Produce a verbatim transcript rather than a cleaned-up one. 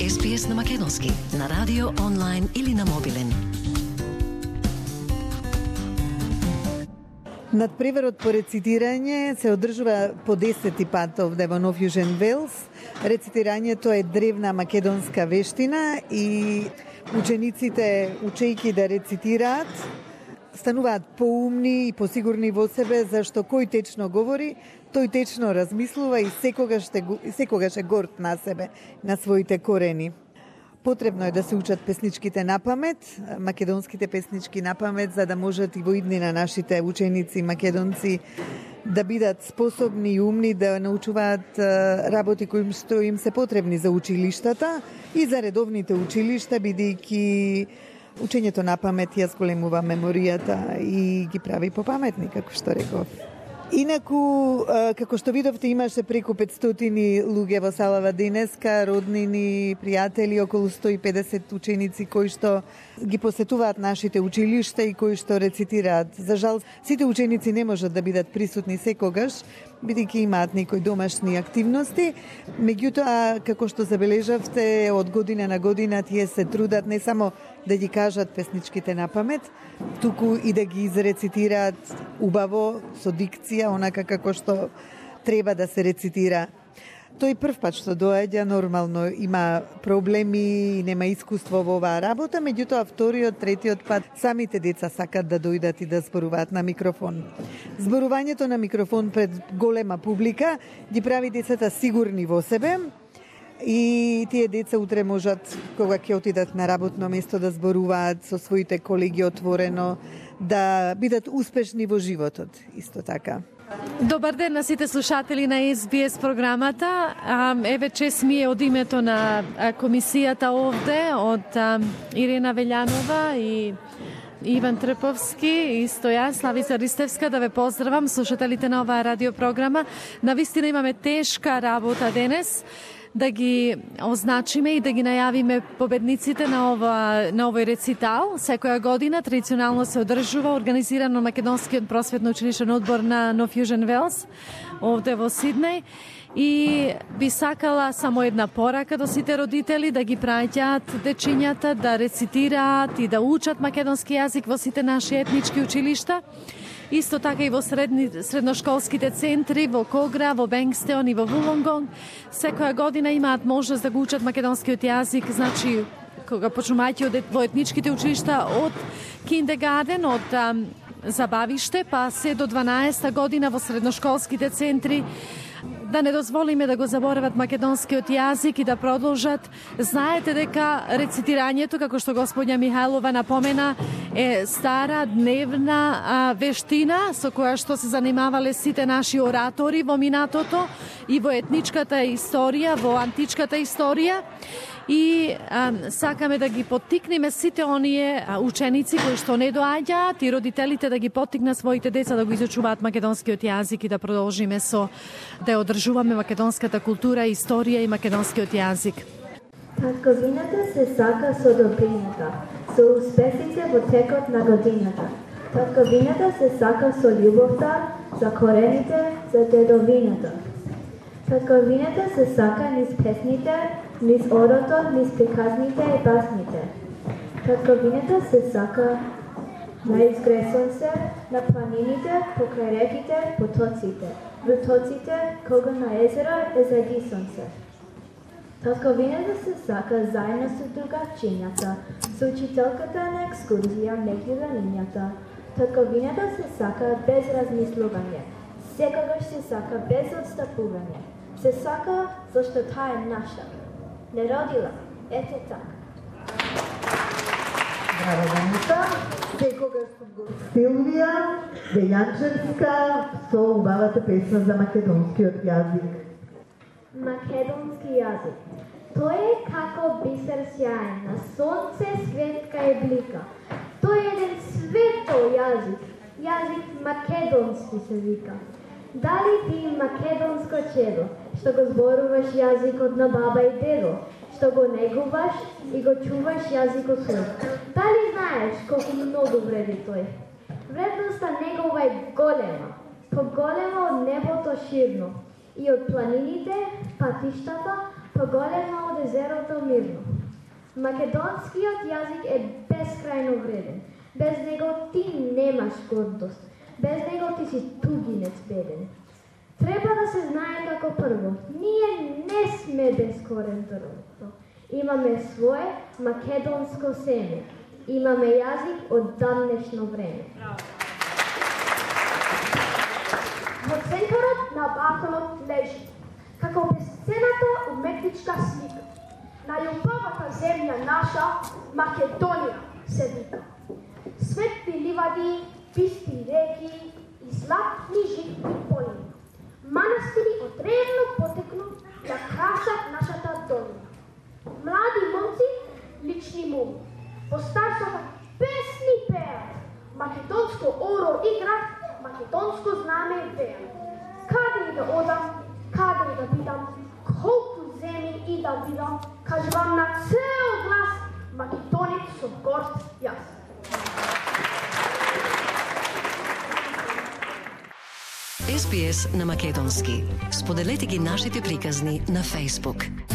Ес Би Ес на македонски, на радио, онлайн или на мобилен. Надпреварот по рецитирање се одржува по десети пат овде во Нов Јужен Велс. Рецитирањето е древна македонска вештина и учениците, учејќи да рецитираат, стануваат поумни и посигурни во себе, зашто кој течно говори, тој течно размислува и секогаш, те, секогаш е горд на себе, на своите корени. Потребно е да се учат песничките на памет, македонските песнички на памет, за да можат и во иднина нашите ученици македонци да бидат способни и умни да научуваат работи кои што им се потребни за училиштата и за редовните училишта, бидејќи учењето на памет ја зголемува меморијата и ги прави попаметни, како што реков. Инаку, како што видовте, имаше преку петстотини луѓе во салава денеска, роднини, пријатели, околу сто и педесет ученици кои што ги посетуваат нашите училишта и кои што рецитираат. За жал, сите ученици не можат да бидат присутни секогаш, бидејќи имаат некои домашни активности. Меѓутоа, како што забележавте, од година на година тие се трудат не само да ги кажат песничките на памет, туку и да ги изрецитираат убаво, со дикција, онака како што треба да се рецитира. Тој прв пат што доаѓа, нормално има проблеми и нема искуство во оваа работа, меѓутоа вториот, третиот пат самите деца сакат да дојдат и да зборуваат на микрофон. Зборувањето на микрофон пред голема публика ги прави децата сигурни во себе и тие деца утре можат, кога ќе отидат на работно место, да зборуваат со своите колеги отворено, да бидат успешни во животот, исто така. Добар ден на сите слушатели на Ес Би Ес програмата. Еве чест ми е од името на комисијата овде, од Ирена Велјанова и Иван Трповски и Стојан Славица Ристевска, да ве поздравам, слушателите на оваа радиопрограма. Навистина имаме тешка работа денес, да ги означиме и да ги најавиме победниците на ова на овој рецитал. Секоја година традиционално се одржува, организирано Македонскиот просветно училишен одбор на Нов Јужен Велс овде во Сиднеј. И би сакала само една порака до сите родители, да ги праќаат дечињата да рецитираат и да учат македонски јазик во сите наши етнички училишта. Исто така и во средни, средношколските центри, во Когра, во Бенгстеон и во Вулонгонг. Секоја година имаат можност да го учат македонскиот јазик, значи кога почнувајќи во етничките училишта од киндергарден, од ам, забавиште, па се до дванаесета година во средношколските центри, да не дозволиме да го заборават македонскиот јазик и да продолжат. Знаете дека рецитирањето, како што господја Михајлова напомена, е стара дневна а, вештина со која што се занимавале сите наши оратори во минатото и во етничката историја, во античката историја. И а, сакаме да ги поттикнеме сите оние а, ученици кои што не доаѓаат и родителите да ги поттикнат своите деца да го изучуваат македонскиот јазик и да продолжиме со да ја одржуваме македонската култура, историја и македонскиот јазик. Татковината се сака со добрината, со успесите во текот на годината. Татковината се сака со љубовта за корените, за дедовината. Татковината се сака низ песните, низ орото, низ приказните и басните. Татковината се сака на изгресонце, на планините, покрај реките, потоците, вртоците, кога на езеро е зајди сонце. Татковината се сака заедно со другачињата, со учителката на екскурзија меѓу ранињата. Татковината се сака без размислување, секогаш се сака без отстапување. Се сака зашто таа е наша. Не родила, ете така. Браво, Даница. Секогаш сум Силвија Велјанчевска со убавата песна за македонскиот јазик. Македонски јазик. Тој е како бисер сјаен, на сонце светка е блика. Тој е еден свето јазик, јазик македонски се вика. Дали ти македонско чедо, што го зборуваш јазикот на баба и дедо, што го негуваш и го чуваш јазикот свој? Дали знаеш колку многу вреди тој? Вредноста негова е голема, поголема од небото ширно, и од планините, патиштата, поголема од езерото мирно. Македонскиот јазик е бескрајно вреден. Без него ти немаш гордост. Без него ти си тугинец беден. Треба да се знае како прво. Ние не сме бескорен дрво. Имаме свое македонско семе. Имаме јазик од давнешно време. Во центарот на Балканот лежи, како бесцената уметничка слика. На љубовата земја наша, Македонија, се вика. Светли ливади, писти реки и златни житни полина. Манастири од древно потекло да красат нашата долина. Млади момци, лични моми, по старшата песни пеат. Македонско оро играт, македонско знаме веат. Каде и да одам, каде и да бидам, колку земи и да видам, кажувам на цел глас, македонец со горд јас. Ес Би Ес на македонски. Споделете ги нашите приказни на Facebook.